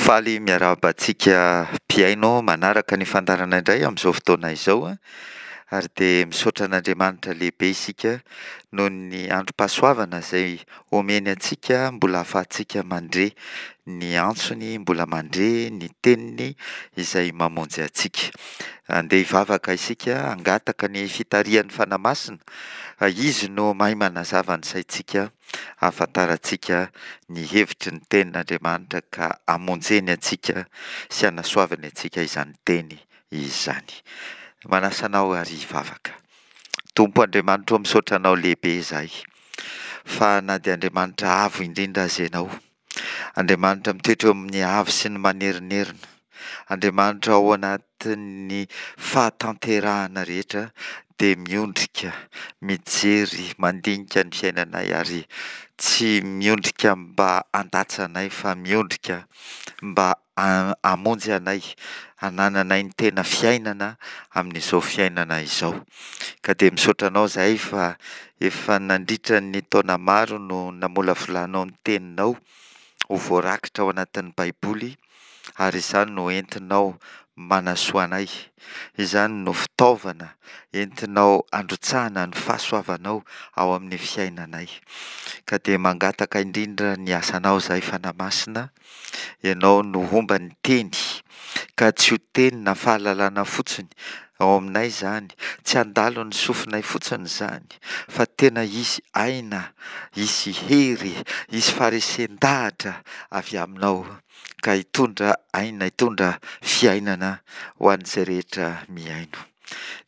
Faly miarahaba antsika mpihaino manaraka ny fandaharana indray amin'izao fotoana izao ary dia misaotra an'Andriamanitra lehibe isika noho ny androm-pahasoavana izay omeny antsika mbola ahafahantsika mandre ny antsony, mbola mandre ny teniny izay mamonjy antsika. Andeha hivavaka isika hangataka ny fitarihan'ny Fanahy Masina fa Izy no mahay manazava ny saintsika hahafantarantsika ny hevitry ny Tenin'Andriamanitra ka hamonjeny antsika sy hanasoavany antsika izany Teny izany. Manasa anao ary hivavaka. Tompo Andriamanitro ô, misaotra Anao lehibe izahay fa na dia Andriamanitra avo indrindra aza Ianao, Andriamanitra mitoetra eo amin'ny avo sy ny manerinerina, Andriamanitra ao anatin'ny fahatanterahana rehetra dia miondrika, mijery, mandinika ny fiainanay ary tsy miondrika mba handatsa anay fa miondrika mba hamonjy anay, hanananay ny tena fiainana amin'izao fiainana izao. Ka dia misaotra Anao izahay fa efa nandritra ny taona maro no namolavolanao ny Teninao ho voarakitra ao anatin'ny Baiboly ary izany no entinao manasoa anay, izany no fitaovana entinao handrotsahana ny fahasoavanao ao amin'ny fiainanay. Ka dia mangataka indrindra ny asanao izahay Fanahy Masina, Ianao no homba ny Teny, ka tsy ho teny na fahalalana fotsiny ao aminay izany, tsy handalo ny sofinay fotsiny izany, fa tena hisy aina, hisy hery, hisy faharesen-dahatra avy Aminao, ka hitondra aina, hitondra fiainana ho an'izay rehetra mihaino.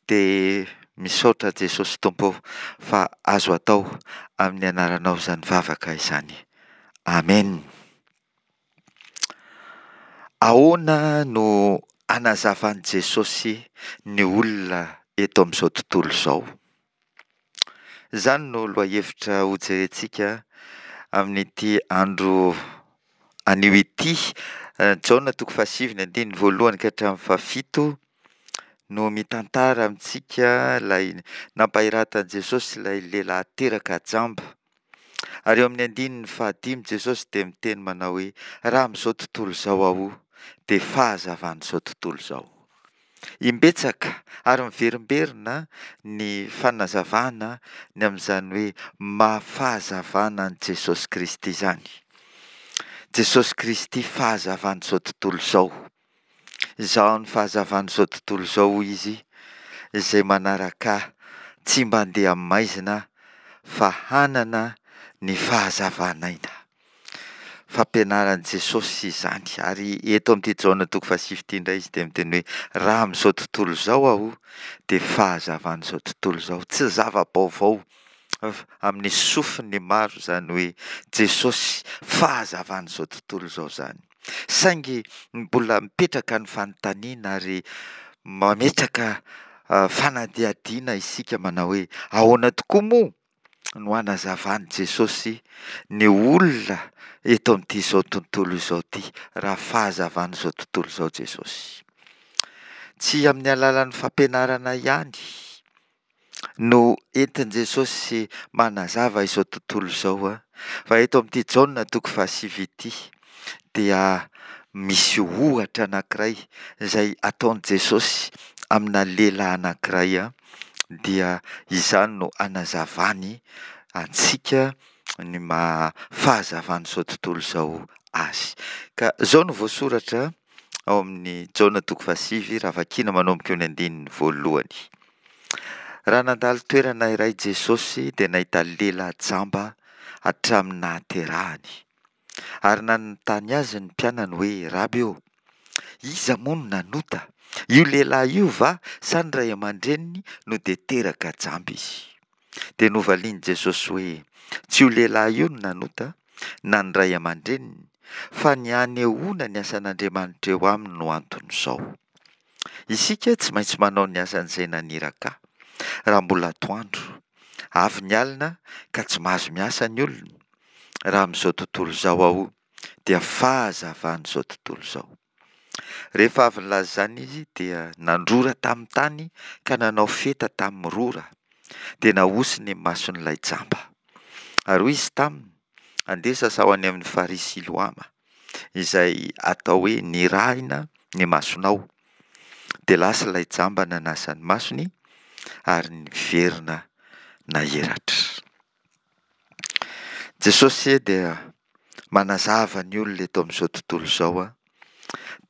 Dia misaotra Jesosy Tompo fa azo atao amin'ny anaranao izany vavaka izany. Amen. Ahoana no anazavan'i Jesosy ny olona eto amin'izao tontolo izao? Izany no lohahevitra hojerentsika amin'ity andro anio ity. Jaona toko fahasivy ny andininy voalohany ka hatramin'ny fahafito no mitantara amintsika ilay nampahiratan'i Jesosy ilay lehilahy teraka jamba. Ary eo amin'ny andininy fahadimy Jesosy dia miteny manao hoe, Raha amin'izao tontolo izao Aho, dia fahazavan'izao tontolo izao. Imbetsaka ary miverimberina ny fanazavana ny amin'izany hoe maha fahazavana an'i Jesosy Kristy izany. Jesosy Kristy fahazavan'izao tontolo izao. Izaho no fahazavan'izao tontolo izao, hoy izy, izay manaraka ahy tsy mba handeha amin'ny maizina fa hanana ny fahazavan'aina. Fampianaran'i Jesosy izany. Ary eto amin'ity Jaona toko fahasivy ity indray izy dia miteny hoe, raha amin'izao tontolo izao aho dia fahazavan'izao tontolo izao. Tsy zava-baovao amin'ny sofin'ny maro izany hoe Jesosy fahazavan'izao tontolo izao izany. Saingy mbola mipetraka ny fanontaniana ary mametraka fanadihadiana isika manao hoe ahoana tokoa moa no hanazavan'i Jesosy ny olona eto amin'ity izao tontolo izao ity raha fahazavan'izao tontolo izao Jesosy. Tsy amin'ny alalan'ny fampianarana ihany no entin'i Jesosy manazava izao tontolo izao, fa eto amin'ity Jaona toko fahasivy ity dia misy ohatra anankiray izay ataon'i Jesosy amina lehilahy anankiray, dia izany no anazavany antsika ny maha fahazavan'izao tontolo izao azy. Ka izao no voasoratra ao amin'ny Jaona toko fahasivy raha vakiana manomboka eo ny andininy voalohany. Raha nandalo toerana iray Jesosy dia nahita lehilahy jamba hatramin'ny nahaterahany. Ary nanontany azy ny mpianany hoe, Raby ô, iza moa no nanota, io lehilahy io va sa ny ray aman-dreniny no dia teraka jamba izy? Dia novalian'i Jesosy hoe, Tsy io lehilahy io no nanota, na ny ray aman-dreniny, fa ny hanehoana ny asan'Andriamanitra eo aminy no anton'izao. Isika tsy maintsy manao ny asan'izay naniraka ahy, raha mbola atoandro. Avy ny alina ka tsy mahazo miasa ny olona. Raha amin'izao tontolo izao aho, dia fahazavan'izao tontolo izao. Rehefa avy nilaza izany izy, dia nandrora tamin'ny tany ka nanao feta tamin'ny rora, dia nahosiny ny mason'ilay jamba. Ary hoy izy taminy, Andeha sasao any amin'ny farihy Siloama. izay atao hoe nirahina ny masonao. Dia lasa ilay jamba nanasa ny masony ary niverina nahiratra. Jesosy dia manazava ny olona eto amin'izao tontolo izao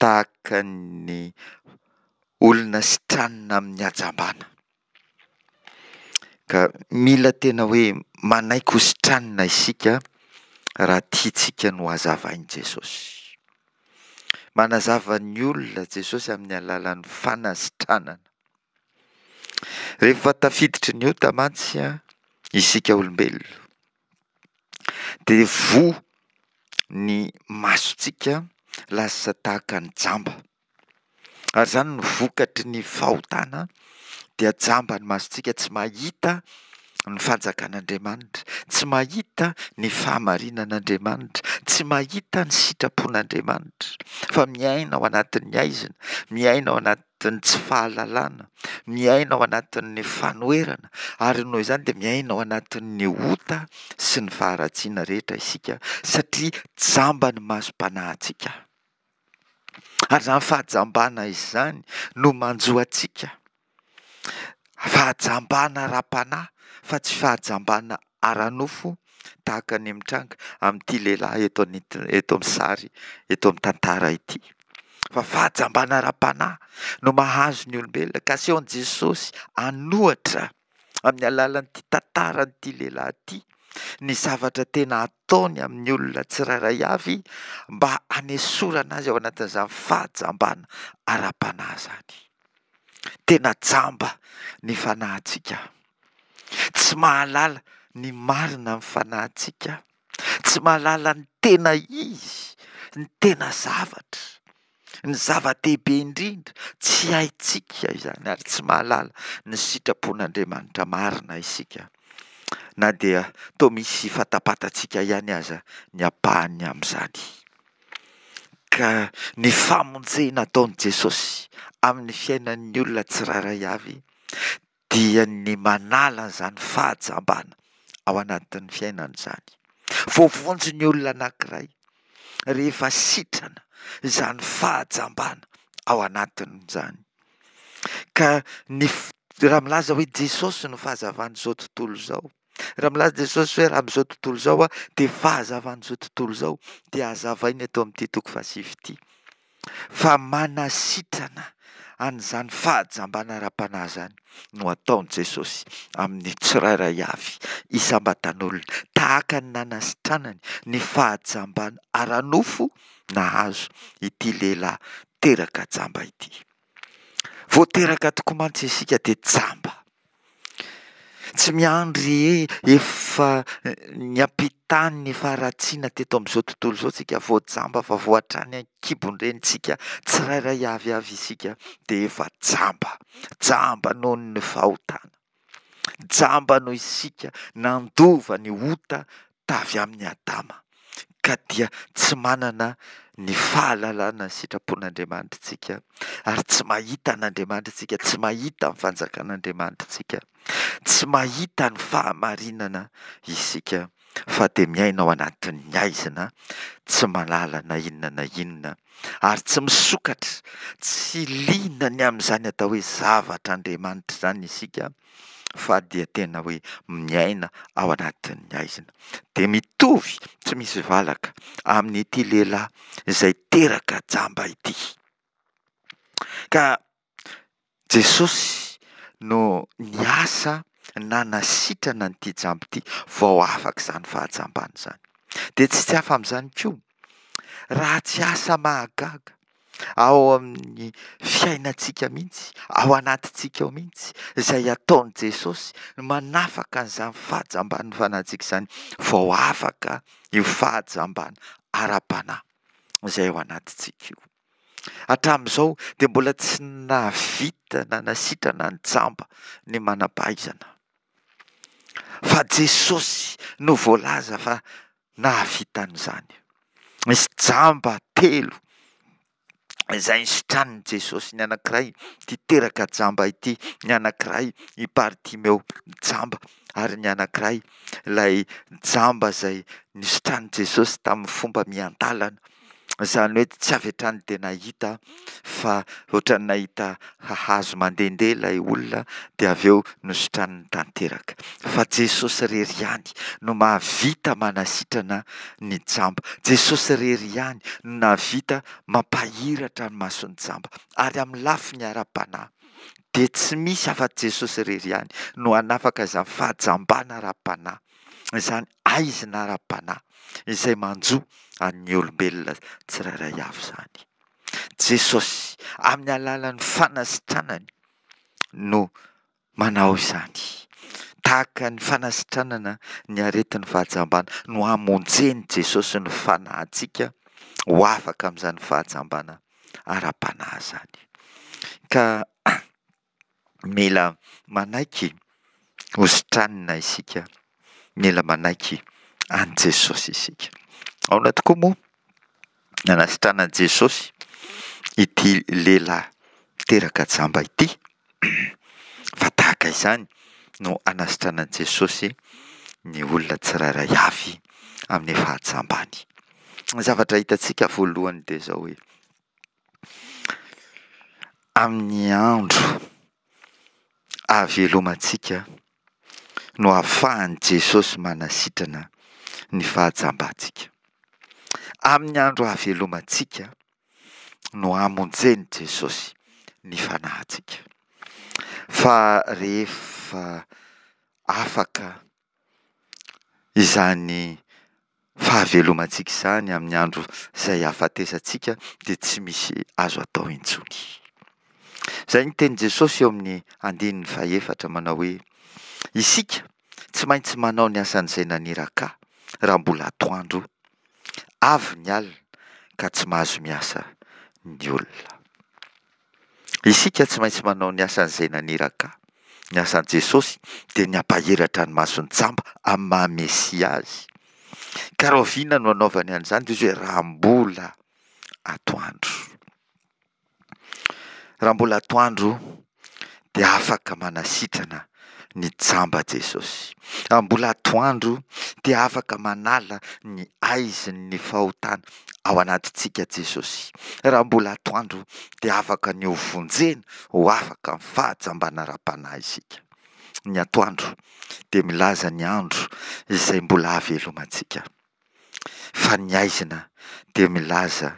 tahaka ny olona sitranina amin'ny hajambana. Ka mila tena hoe manaiky ho sitranina isika raha tiantsika ny ho hazavain'i Jesosy. Manazava ny olona Jesosy amin'ny alalan'ny fanasitranana. Rehefa tafiditry ny ota mantsy isika olombelona dia voa ny masontsika lasa tahaka ny jamba. Ary izany no vokatry ny fahotana dia jamba ny masontsika tsy mahita ny fanjakan'Andriamanitra, tsy mahita ny fahamarinan'Andriamanitra, tsy mahita ny sitrapon'Andriamanitra fa miaina ao anatin'ny haizina, miaina ao anatin'ny tsy fahalalana, miaina ao anatin'ny fanoherana ary noho izany dia miaina ao anatin'ny ota sy ny faharatsiana rehetra isika satria jamba ny masom-panahintsika. Ary izany fahajambana izany no manjo antsika. Fahajambana ara-panahy fa tsy fahajambana ara-nofo tahaka ny mitranga amin'ity lehilahy eto eto amin'ny sary eto amin'ny tantara ity. Fa fahajambana ara-panahy no mahazo ny olombelona ka asehon'i Jesosy an'ohatra amin'ny alalan'ity tantaran'ity lehilahy ity ny zavatra tena ataony amin'ny olona tsirairay avy mba hanesorana azy ao anatin'izany fahajambana ara-panahy izany. Tena jamba ny fanahintsika. Tsy mahalala ny marina ny fanahintsika. Tsy mahalala ny tena izy, ny tena zavatra. Ny zava-dehibe indrindra, tsy haintsika izany ary tsy mahalala ny sitrapon'Andriamanitra marina isika, na dia toa misy fantapantatsika ihany aza ny ampahany amin'izany. Ka ny famonjena ataon'i Jesosy amin'ny fiainan'ny olona tsirairay avy dia ny manala an'izany fahajambana ao anatin'ny fiainana izany. Voavonjy ny olona anankiray rehefa sitrana izany fahajambana ao anatiny izany. Ka ny raha milaza hoe Jesosy no fahazavan'izao tontolo izao, raha milaza Jesosy hoe raha amin'izao tontolo izao aho dia fahazavan'izao tontolo izao, dia hazavaina eto amin'ity toko fahasivy ity. Fa manasitrana an'izany fahajambana ara-panahy izany no ataon'i Jesosy amin'ny tsirairay avy isam-batan'olona, tahaka ny nanasitranany ny fahajambana ara-nofo nahazo ity lehilahy teraka jamba ity. Vao teraka tokoa mantsy isika dia jamba. Tsy miandry efa niampitany ny faharatsiana teto amin'izao tontolo izao tsika vao jamba fa vao hatrany an-kibon-drenintsika tsirairay avy avy isika dia efa jamba. Jamba noho ny fahotana. Jamba noho isika nandova ny ota tavy amin'i Adama, ka dia tsy manana ny fahalalana ny sitrapon'Andriamanitra isika, ary tsy mahita an'Andriamanitra isika, tsy mahita ny fanjakan'Andriamanitra isika, tsy mahita ny fahamarinana isika, fa dia miaina ao anatin'ny haizina, tsy mahalala na inona na inona, ary tsy misokatra, tsy liana ny amin'izany atao hoe zavatr'Andriamanitra izany isika, fa dia tena hoe miaina ao anatin'ny haizina. Dia mitovy tsy misy valaka amin'ity lehilahy izay teraka jamba ity. Ka Jesosy no niasa nanasitrana an'ity jamba ity vao afaka izany fahajambana izany. Dia tsy tsy hafa amin'izany koa raha tsy asa mahagaga ao amin'ny fiainantsika mihitsy, ao anatintsika ao mihitsy, izay ataon'i Jesosy no manafaka an'izany fahajamban'ny fanahintsika izany vao afaka io fahajambana ara-panahy izay ao anatintsika io. Hatramin'izao dia mbola tsy nahavita nanasitrana ny jamba ny manam-pahaizana. Fa Jesosy no voalaza fa nahavita an'izany. Nisy jamba telo izay nisitranin'i Jesosy, ny anankiray ity teraka jamba ity, ny anankiray i Bartimeo jamba, ary ny anankiray ilay jamba izay nisitranin'i Jesosy tamin'ny fomba miandalana. Izany hoe tsy avy hatrany dia nahita fa ohatran'ny nahita hazo mandehandeha ilay olona dia avy eo nositraniny tanteraka. Fa Jesosy irery ihany no mahavita manasitrana ny jamba. Jesosy irery ihany no nahavita mampahiratra ny mason'ny jamba. Ary amin'ny lafiny ara-panahy dia tsy misy afa-tsy Jesosy irery ihany no hanafaka izany fahajambana ara-panahy, izany haizina ara-panahy izay manjo an'ny olombelona tsirairay avy izany. Jesosy, amin'ny alalan'ny fanasitranany no manao izany. Tahaka ny fanasitranana ny aretin'ny fahajambana no hamonjen'i Jesosy ny fanahintsika ho afaka amin'izany fahajambana ara-panahy izany. Ka mila manaiky ho sitranina isika, mila manaiky an'i Jesosy isika. Ahoana tokoa moa nanasitranan'i Jesosy ity lehilahy teraka jamba ity? Fa tahaka izany no anasitranan'i Jesosy ny olona tsirairay avy amin'ny fahajambany. Ny zavatra hitantsika voalohany dia izao hoe, Amin'ny andro ahavelomantsika no ahafahan'i Jesosy manasitrana ny fahajambantsika. Amin'ny andro ahavelomantsika no hamonjen'i Jesosy ny fanahintsika. Fa rehefa afaka Izany fahavelomantsika izany amin'ny andro izay hahafatesantsika dia tsy misy azo atao intsony. Izay ny tenin'i Jesosy eo amin'ny andininy fahefatra manao hoe, Isika tsy maintsy manao ny asan'izay naniraka ahy raha mbola atoandro, avy ny alina ka tsy mahazo miasa ny olona. Isika tsy maintsy manao ny asan'izay naniraka ahy. Ny asan'i Jesosy dia ny hampahiratra ny mason'ny jamba amin'ny maha Mesia azy. Ka rahoviana no anaovany an'izany? Dia izy hoe raha mbola atoandro. Raha mbola atoandro dia afaka manasitrana ny jamba Jesosy. Raha mbola atoandro dia afaka manala ny aizin'ny fahotana ao anatintsika Jesosy. Raha mbola atoandro dia afaka ny ho vonjena ho afaka amin'ny fahajambana ara-panahy isika. Ny atoandro dia milaza ny andro izay mbola hahavelomantsika. Fa ny haizina dia milaza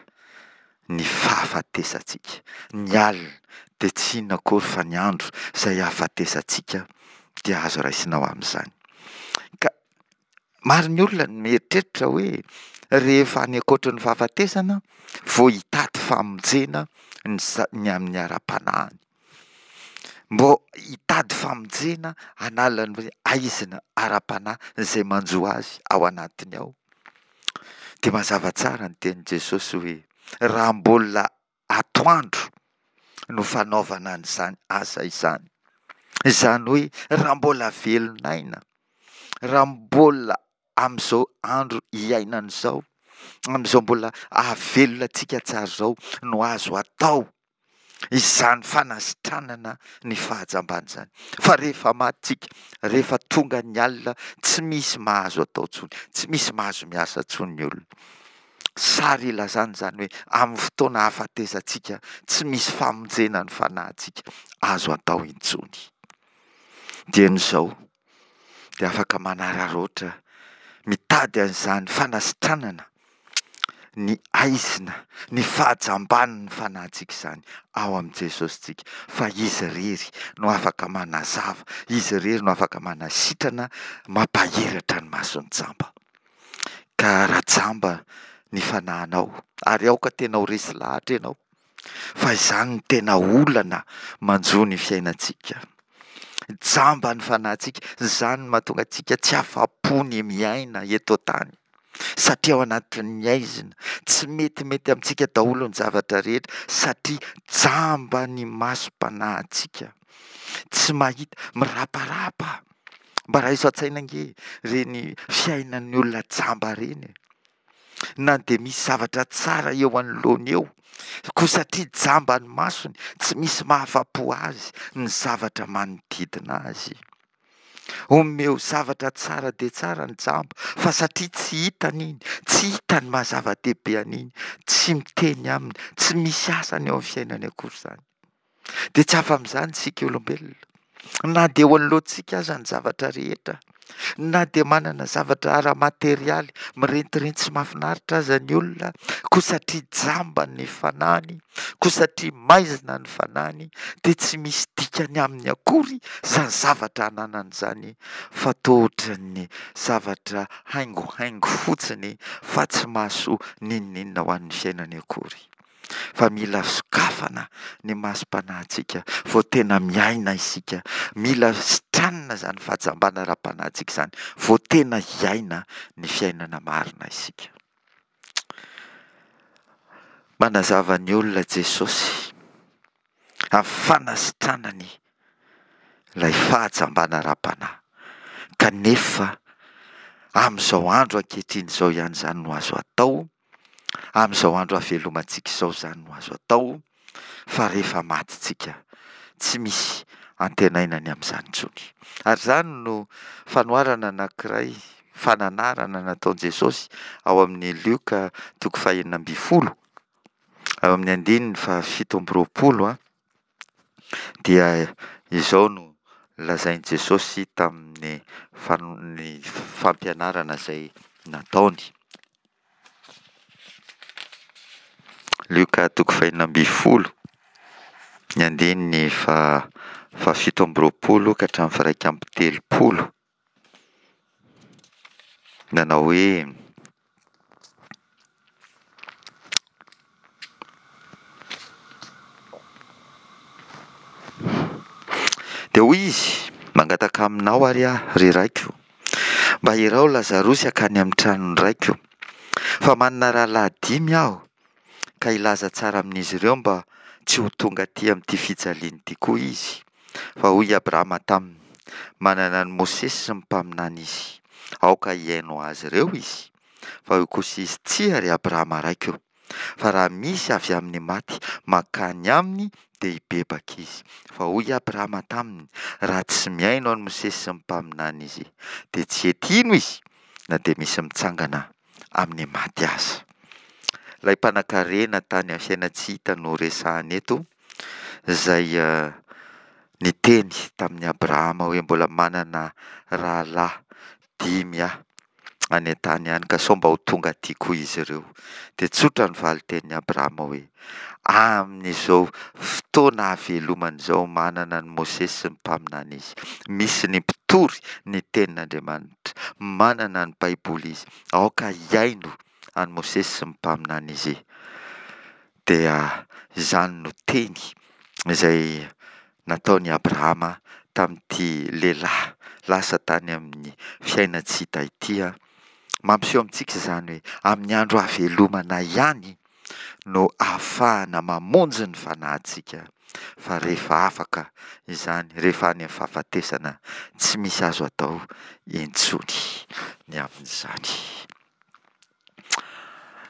ny fahafatesantsika. Ny alina dia tsy inona akory fa ny andro izay hahafatesantsika dia azo raisina ho amin'izany. Ka maro ny olona no mieritreritra hoe rehefa any ankoatry ny fahafatesana vao hitady famonjena ny ny amin'ny ara-panahiny. Mbô hitady famonjena hanala ny haizina ara-panahy izay manjo azy ao anatiny ao. Dia mazava tsara ny tenin'i Jesosy hoe raha mbola atoandro no fanaovana an'izany asa izany. Izany hoe raha mbola velon'aina, raha mbola amin'izao andro iainana izao, amin'izao mbola ahavelona antsika tsara izao no azo atao izany fanasitranana ny fahajambana izany. Fa rehefa maty tsika, rehefa tonga ny alina, tsy misy mahazo atao intsony, tsy misy mahazo miasa intsony ny olona. Sary ilazana izany hoe amin'ny fotoana ahafatezantsika, tsy misy famonjena ny fanahintsika azo atao intsony. Dieny izao, dia afaka manararaotra mitady an'izany fanasitranana ny haizina, ny fahajamban'ny fanahintsika izany ao amin'i Jesosy tsika, fa Izy irery no afaka manazava, Izy irery no afaka manasitrana, mampahiratra ny mason'ny jamba. Ka raha jamba ny fanahinao, ary aoka tena ho resy lahatra ianao, Fa izany no tena olana manjo ny fiainantsika. Jamba ny fanahintsika, izany no mahatonga antsika tsy afa-po ny miaina eto an-tany. Satria ao anatin'ny haizina, tsy metimety amintsika daholo ny zavatra rehetra satria jamba ny masom-panahintsika. Tsy mahita, miraparapa. Mba raiso an-tsaina ange ireny fiainan'ny olona jamba ireny e. na dia misy zavatra tsara eo anoloany eo, koa satria jamba ny masony, tsy misy mahafa-po azy ny zavatra manodidina azy. Omeo zavatra tsara dia tsara ny jamba, fa satria tsy hitany iny, tsy hitany maha zava-dehibe an'iny, tsy miteny aminy, tsy misy asany eo amin'ny fiainany akory izany. Dia tsy afa-amin'izany isika olombelona, na dia eo anoloantsika aza ny zavatra rehetra, na dia manana zavatra ara-materialy mirentirenty sy mahafinaritra aza ny olona, koa satria jamba ny fanahiny, koa satria maizina ny fanahiny, dia tsy misy dikany aminy akory izany zavatra ananany izany fa toa ohatran'ny zavatra haingohaingo fotsiny fa tsy mahasoa n'inon'inona ho an'ny fiainany akory. Fa mila sokafana ny masom-panahintsika vao tena miaina isika, mila sitranina izany fahajambana ara-panahintsika izany vao tena hiaina ny fiainana marina isika. Manazava ny olona Jesosy amin'ny fanasitranany ilay fahajambana ara-panahy, kanefa amin'izao andro ankehitriny izao ihany izany no azo atao, amin'izao andro havelomantsika izao izany no azo atao, fa rehefa maty tsika, tsy misy antenaina ny amin'izany intsony. Ary izany no fanoharana anankiray, fananarana nataon'i Jesosy ao amin'ny Lioka toko fahenina ambin'ny folo, ao amin'ny andininy fahafito amby roapolo, dia izao no lazain'i Jesosy tamin'ny fampianarana izay nataony. Lioka toko fahenina ambin'ny folo, ny andininy faha-fahafito amby roapolo ka hatramin'ny faha-iraika amby telopolo, nanao hoe. Dia hoy izy, Mangataka aminao ary aho, ry raiko, mba iraho Lazarosy hankany amin'ny tranon'ny raiko, fa manana rahalahy dimy aho, ka hilaza tsara amin'izy ireo mba tsy ho tonga aty amin'ity fijaliana ity koa izy. Fa hoy i Abrahama taminy, Manana an'i Mosesy sy ny mpaminany izy, aoka hihaino azy ireo izy. Fa hoy kosa izy, Tsia, ry Abrahama raiko, fa raha misy avy amin'ny maty mankany aminy dia hibebaka izy. Fa hoy i Abrahama taminy, Raha tsy mihaino an'i Mosesy sy ny mpaminany izy, dia tsy hety hino izy, na dia misy mitsangana amin'ny maty aza. Ilay mpanankarena tany amin'ny fiainan-tsy hita no resahana eto, izay niteny tamin'i Abrahama hoe mbola manana rahalahy dimy aho any an-tany any, ka sao mba ho tonga aty koa izy ireo. Dia tsotra ny valin-tenin'i Abrahama hoe, Amin'izao fotoana hahavelomany izao, manana an'i Mosesy sy ny mpaminany izy. Misy ny mpitory ny tenin'Andriamanitra. Manana ny Baiboly izy. Aoka hihaino an'i Mosesy sy ny mpaminany izy. Dia izany no teny izay nataon'i Abrahama tamin'ity lehilahy lasa tany amin'ny fiainan-tsy hita ity. Mampiseho amintsika izany hoe amin'ny andro hahavelomana ihany no ahafahana mamonjy ny fanahintsika, fa rehefa afaka izany, rehefa any amin'ny fahafatesana, tsy misy azo atao intsony ny amin'izany.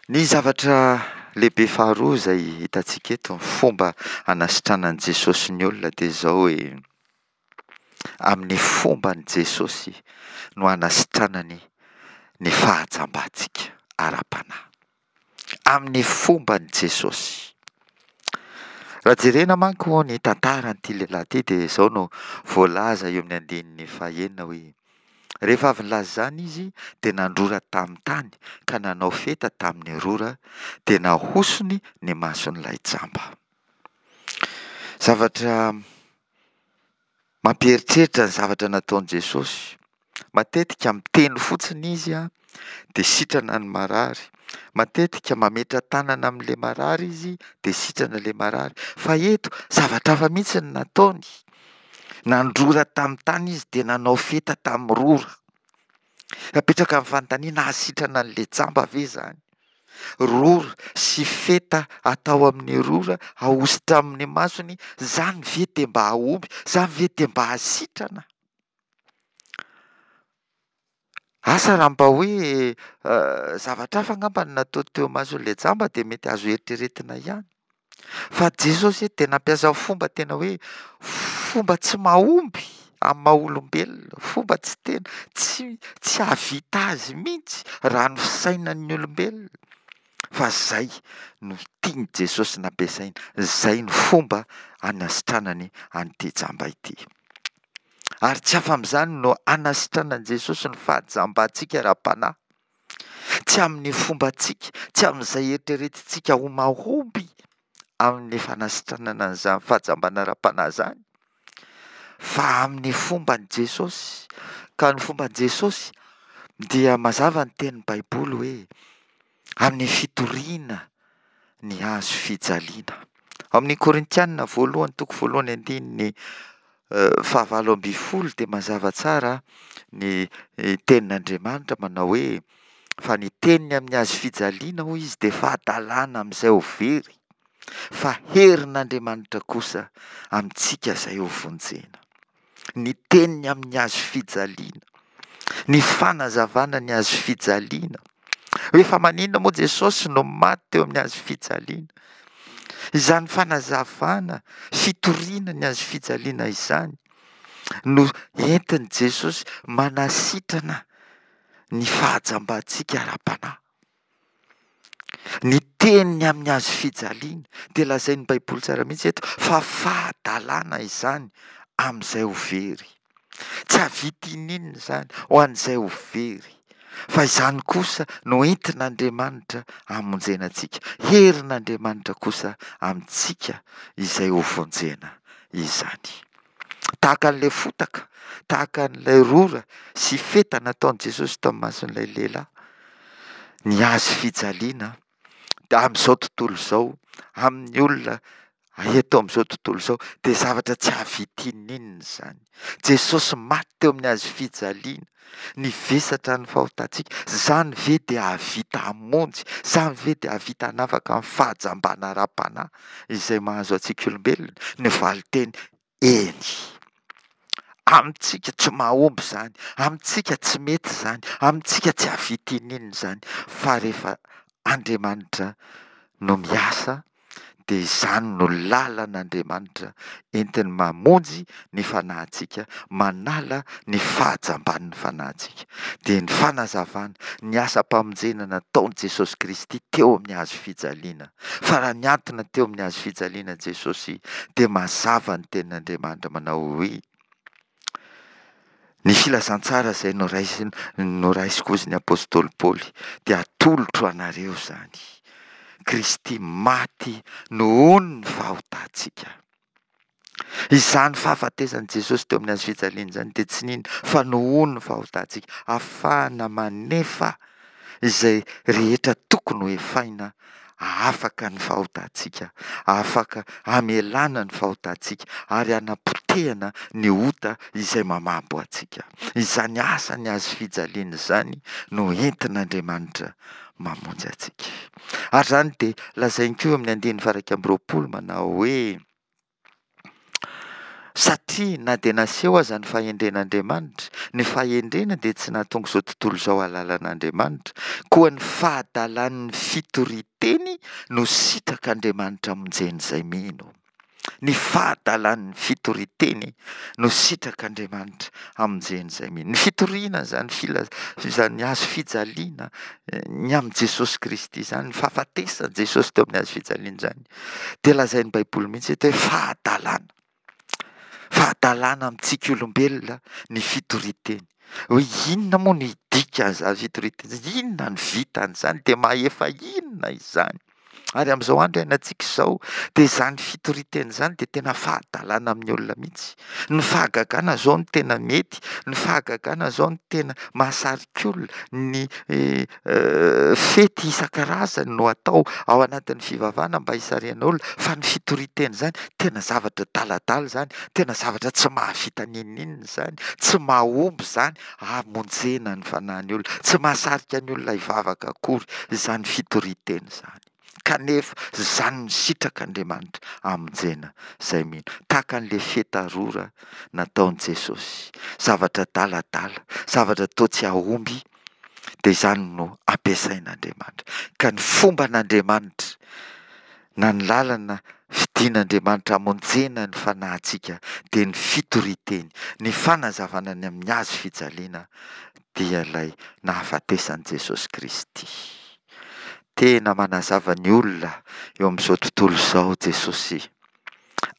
Ny zavatra lehibe faharoa izay hitantsika eto, ny fomba hanasitranan'i Jesosy ny olona dia izao hoe, amin'ny fomban'i Jesosy no hanasitranany ny fahajambantsika ara-panahy. Amin'ny fomban'i Jesosy. Raha jerena manko ny tantaran'ity lehilahy ity dia izao no voalaza eo amin'ny andininy fahenina hoe, Rehefa avy nilaza izany izy, dia nandrora tamin'ny tany ka nanao feta tamin'ny rora, dia nahosony ny mason'ilay jamba. Zavatra mampieritreritra ny zavatra nataon'i Jesosy. Matetika miteny fotsiny izy dia sitrana ny marary. Matetika mametra-tanana amin'ilay marary izy dia sitrana ilay marary. Fa eto, zavatra hafa mihitsy no nataony. Nandrora tamin'ny tany izy dia nanao feta tamin'ny rora. Napetraka ny fanontaniana, hahasitrana an'ilay jamba ve izany? Rora sy feta atao amin'ny rora, ahosotra amin'ny masony, izany ve dia mba hahomby? Izany ve dia mba hahasitrana? Asa raha mba hoe zavatra hafa angamba no natao teo imason'ilay jamba dia mety azo eritreretina ihany. Fa Jesosy eto dia nampiasa fomba tena hoe fomba tsy mahomby. amin'ny maha olombelona, fomba tsy tena, tsy tsy hahavita azy mihitsy raha ny fisainan'ny olombelona. Fa izay no tian'i Jesosy nampiasaina, izay no fomba hanasitranany an'ity jamba ity. Ary tsy afa-amin'izany no hanasitranan'i Jesosy ny fahajambantsika ara-panahy. Tsy amin'ny fombantsika, tsy amin'izay eritreretintsika ho mahomby amin'ny fanasitranana an'izany fahajambana ara-panahy izany, fa amin'ny fomban'i Jesosy. Ka ny fomban'i Jesosy dia mazava ny tenin'ny Baiboly hoe amin'ny fitoriana ny hazo fijaliana. Ao amin'ny Korintiana voalohany toko voalohany andininy fahavalo ambin'ny folo dia mazava tsara ny tenin'Andriamanitra manao hoe fa ny teniny amin'ny hazo fijaliana hoy izy dia fahadalana amin'izay ho very fa herin'Andriamanitra kosa amintsika izay ho vonjena. Ny teniny amin'ny hazo fijaliana, ny fanazavana ny hazo fijaliana. Hoe fa maninona moa Jesosy no maty teo amin'ny hazo fijaliana? Izany fanazavana, fitoriana ny hazo fijaliana izany no entin'i Jesosy manasitrana ny fahajambantsika ara-panahy. Ny teniny amin'ny hazo fijaliana dia lazain'ny Baiboly tsara mihitsy eto fa fahadalana izany amin'izay ho very. Tsy hahavita ininona izany ho an'izay ho very. Fa izany kosa no entin'Andriamanitra hamonjena antsika. Herin'Andriamanitra kosa amintsika izay ho vonjena izany. Tahaka an'ilay fotaka, tahaka an'ilay rora sy feta nataon'i Jesosy tao amin'ny mason'ilay lehilahy, ny hazo fijaliana amin'izao tontolo izao, amin'ny olona eto amin'izao tontolo izao, dia zavatra tsy hahavita ininona izany. Jesosy maty teo amin'ny hazo fijaliana, nivesatra ny fahotantsika, izany ve dia hahavita hamonjy, izany ve dia hahavita hanafaka amin'ny fahajambana ara-panahy izay mahazo antsika olombelona? Ny valin-teny, eny. Amintsika tsy mahomby izany, amintsika tsy mety izany, amintsika tsy hahavita ininona izany, fa rehefa Andriamanitra no miasa dia izany no lalan'Andriamanitra entiny mamonjy ny fanahintsika, manala ny fahajamban'ny fanahintsika. Dia ny fanazavana, ny asam-pamonjena nataon'i Jesosy Kristy teo amin'ny hazo fijaliana. Fa raha nihantona teo amin'ny hazo fijaliana Jesosy dia mazava ny tenin'Andriamanitra manao hoe, Ny filazantsara izay noraisin, noraisiko hozy ny apostoly Paoly dia atolotro anareo izany. Kristy maty nohon' ny fahotantsika. Izany fahafatesan'i Jesosy teo amin'ny hazo fijaliana izany dia tsy nino fa nohon' ny fahotantsika. Ahafahana manefa izay rehetra tokony ho efaina hahafaka ny fahotantsika, hahafaka hamelana ny fahotantsika ary hanapotehana ny ota izay mamabo antsika. Izany asan'ny hazo fijaliana izany no entin'Andriamanitra mamonjy antsika. Ary izany dia lazainy koa eo amin'ny andininy faha 21 manao hoe. Satria na dia naseho aza ny fahendren'Andriamanitra, ny fahendrena dia tsy nahatonga izao tontolo izao hahalala an'Andriamanitra, koa ny fahadalan'ny fitorian-teny no sitrak'Andriamanitra hamonjen'izay mino. Ny fahadalan'ny fitorian-teny no sitrak'Andriamanitra hamonjen'izay mino. Ny fitoriana izany fila- izany hazo fijaliana ny amin'i Jesosy Kristy izany, ny fahafatesan'i Jesosy teo amin'ny hazo fijaliana izany, Dia lazain'ny Baiboly mihitsy eto hoe fahadalana. Fahadalana amintsika olombelona ny fitorian-teny. Hoe inona moa no dikan'izany fitorian-teny izany? Inona no vitan'izany? Dia mahefa inona izany? Ary amin'izao andro iainantsika izao dia izany fitorian-teny izany dia tena fahadalana amin'ny olona mihitsy. Ny fahagagana izao no tena mety, ny fahagagana izao no tena mahasarika olona, ny fety isan-karazany no atao ao anatin'ny fivavahana mba hisarihana olona, fa ny fitorian-teny izany tena zavatra adaladala izany, tena zavatra tsy mahavita n'inon'inona izany, tsy mahomby izany hamonjena ny fanahin'ny olona, tsy mahasarika ny olona hivavaka akory izany fitorian-teny izany. Kanefa izany no sitrak'Andriamanitra hamonjena izay mino. Tahaka an'ilay feta rora nataon'i Jesosy, zavatra adaladala, zavatra toa tsy hahomby, dia izany no ampiasain'Andriamanitra. Ka ny fomban'Andriamanitra na ny lalana fidian'Andriamanitra. Tian'Andriamanitra hamonjena ny fanahintsika dia ny fitorian-teny, ny fanazavana ny amin'ny hazo fijaliana dia ilay nahafatesan'i Jesosy Kristy. Tena manazava ny olona eo amin'izao tontolo izao Jesosy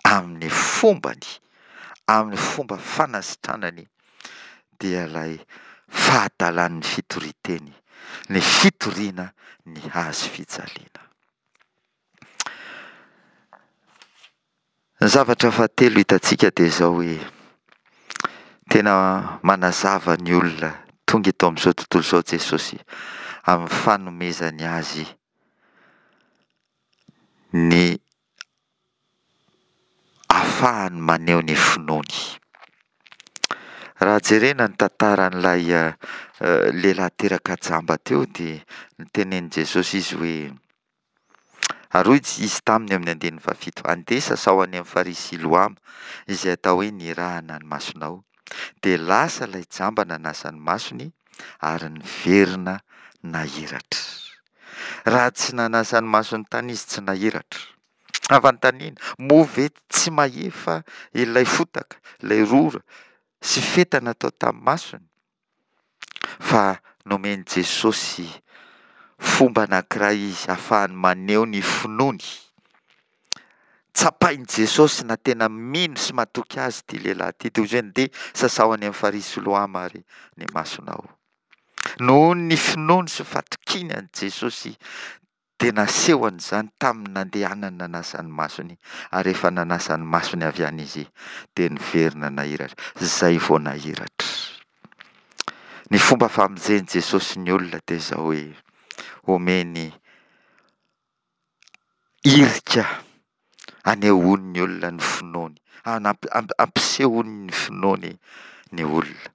amin'ny fombany, amin'ny fomba fanasitranany dia ilay fahadalan'ny fitorian-teny, ny fitoriana ny hazo fijaliana. Ny zavatra fahatelo hitantsika dia izao hoe, tena manazava ny olona tonga eto amin'izao tontolo izao Jesosy amin'ny fanomezany azy ny ahafahany maneho ny finoany. Raha jerena ny tantaran'ilay lehilahy teraka jamba teo dia notenenin'i Jesosy izy hoe, Ary hoy izy taminy amin'ny andininy fahafito, Andeha sasao any amin'ny farihy Siloama, izay atao hoe nirahana ny masonao. Dia lasa ilay jamba nanasa ny masony, ary niverina nahiratra. Raha tsy nanasa ny masony tany izy, tsy nahiratra. Fanontaniana, moa ve tsy mahefa ilay fotaka, ilay rora sy feta natao tamin'ny masony? Fa nomen'i Jesosy fomba anankiray izy ahafahany maneho ny finoany. Tsapain'i Jesosy na tena mino sy matoky azy ity lehilahy ity. Dia hoy izy hoe, Ndeha sasao any amin'ny farihy Siloama ary ny masonao. Noho ny finoany sy fatokiany an'i Jesosy dia nasehony izany tamin'ny nandehanany nanasa ny masony, ary rehefa nanasa ny masony avy any izy, dia niverina nahiratra. Izay vao nahiratra. Ny fomba famonjen'i Jesosy ny olona dia izao hoe, omeny hirika Anehoany ny olona ny finoany, ampisehoany ny finoany ny olona.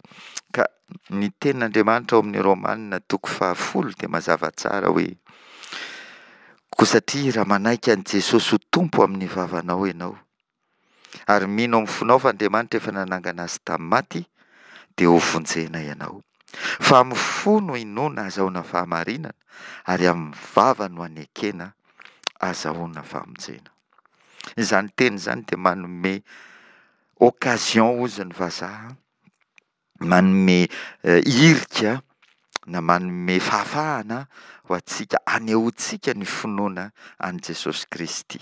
Ka ny tenin'Andriamanitra ao amin'ny Romana toko fahafolo dia mazava tsara hoe, Koa satria raha manaiky an'i Jesosy ho Tompo amin'ny vavanao ianao, ary mino amin'ny fonao fa Andriamanitra efa nanangana azy tamin'ny maty, dia hovonjena ianao. Fa amin'ny fo no inoana azahoana fahamarinana, ary amin'ny vava no anekena azahoana famonjena. Izany teny izany dia manome occasion hozy ny vazaha, manome hirika na manome fahafahana ho antsika hanehoantsika ny finoana an'i Jesosy Kristy.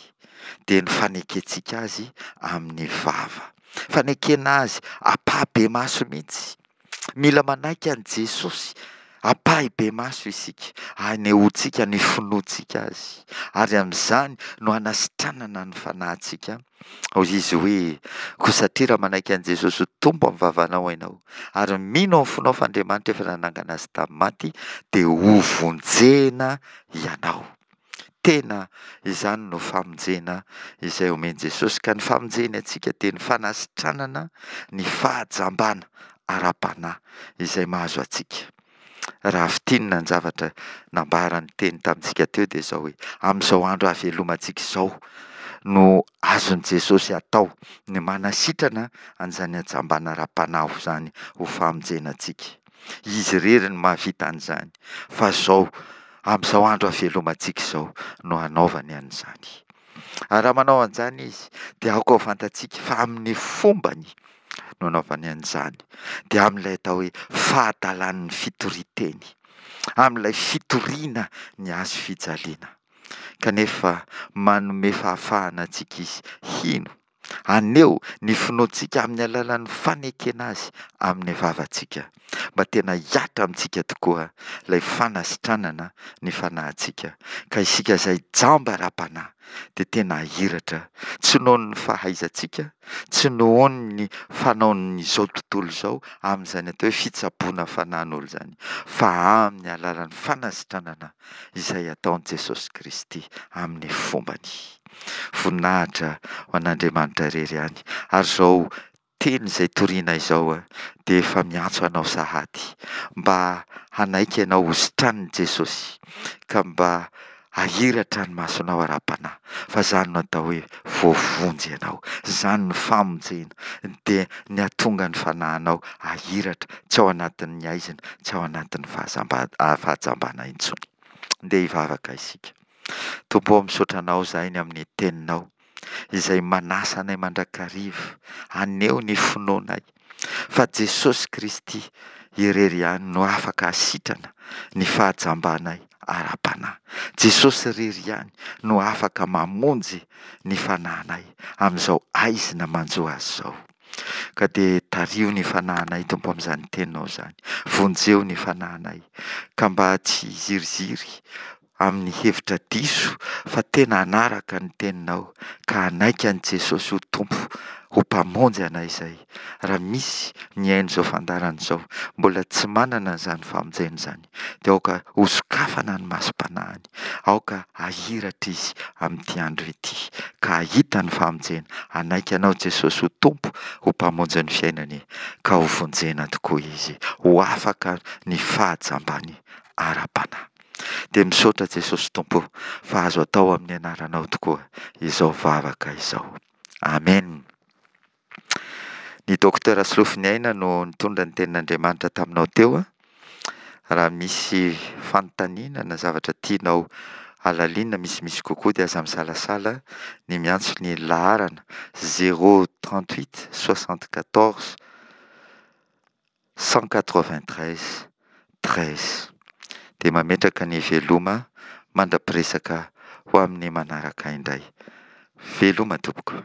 Dia ny fanekentsika Azy amin'ny vava. Fanekena Azy ampahibemaso mihitsy. Mila manaiky an'i Jesosy ampahibemaso isika, hanehoantsika ny finoantsika Azy, ary amin'izany no hanasitranana ny fanahintsika. Hoy Izy hoe, Koa satria raha manaiky an'i Jesosy ho Tompo amin'ny vavanao ianao, ary mino amin'ny fonao fa Andriamanitra efa nanangana Azy tamin'ny maty, dia hovonjena ianao. Tena izany no famonjena izay omen'i Jesosy, ka ny famonjeny antsika dia ny fanasitranana ny fahajambana ara-panahy izay mahazo antsika. Raha fintinina ny zavatra nambaran'ny teny tamintsika teo dia izao hoe, amin'izao andro hahavelomantsika izao no azon'i Jesosy atao ny manasitrana an'izany hajambana ara-panahy izany ho famonjena antsika. Izy irery no mahavita an'izany, fa izao, amin'izao andro havelomantsika izao no hanaovany an'izany. Ary raha manao an'izany Izy, dia aoka ho fantatsika fa amin'ny fombany no anaovany an'izany, dia amin'ilay atao hoe fahadalan'ny fitorian-teny, amin'ilay fitoriana ny hazo fijaliana. Kanefa manome fahafahana antsika Izy hino Haneho ny finoantsika amin'ny alalan'ny fanekena Azy amin'ny vavantsika, mba tena hihatra amintsika tokoa ilay fanasitranana ny fanahintsika, ka isika izay jamba ara-panahy dia tena hahiratra, tsy noho ny fahaizantsika, tsy noho ny fanaon'izao tontolo izao amin'izany atao hoe fitsaboana fanahin'olona izany, fa amin'ny alalan'ny fanasitranana izay ataon'i Jesosy Kristy amin'ny fombany. Voninahitra ho an'Andriamanitra irery ihany. Ary izao teny izay toriana izao dia efa miantso anao sahady mba hanaiky ianao ho sitranin'i Jesosy ka mba hahiratra ny masonao ara-panahy fa izany no atao hoe voavonjy ianao. Izany no famonjena dia ny hahatonga ny fanahinao hahiratra tsy ao anatin'ny haizina, tsy ao anatin'ny fahajambana intsony. Ndeha hivavaka isika. Tompo ô, misaotra Anao izahay ny amin'ny Teninao. izay manasa anay mandrakariva haneho ny finoanay fa Jesosy Kristy irery ihany no afaka hasitrana ny fahajambanay ara-panahy. Jesosy irery ihany no afaka mamonjy ny fanahinay amin'izao haizina manjo azy izao. Ka dia tariho ny fanahinay Tompo amin'izany teninao izany. Vonjeo ny fanahinay ka mba tsy hiziriziry amin'ny hevitra diso fa tena hanaraka ny teninao ka hanaiky an'i Jesosy ho Tompo, ho Mpamonjy anay izay. Raha misy mihaino izao fandaharana izao mbola tsy manana an'izany famonjena izany dia aoka hosokafana ny masom-panahiny, aoka hahiratra izy amin'ity andro ity ka hahita ny famonjena, hanaiky Anao Jesosy ho Tompo, ho Mpamonjy ny fiainany ka ho vonjena tokoa izy, ho afaka ny fahajambany ara-panahy. Dia misaotra Jesosy Tompo fa azo atao amin'ny anaranao tokoa izao vavaka izao. Amen. Ny Docteur Solofoniaina no nitondra ny tenin'Andriamanitra taminao teo. Raha misy fanontaniana na zavatra tianao halalinina misimisy kokoa dia aza misalasala ny miantso ny laharana 038 74 193 13. Dia mametraka ny veloma mandra-piresaka ho amin'ny manaraka indray. Veloma tompoko.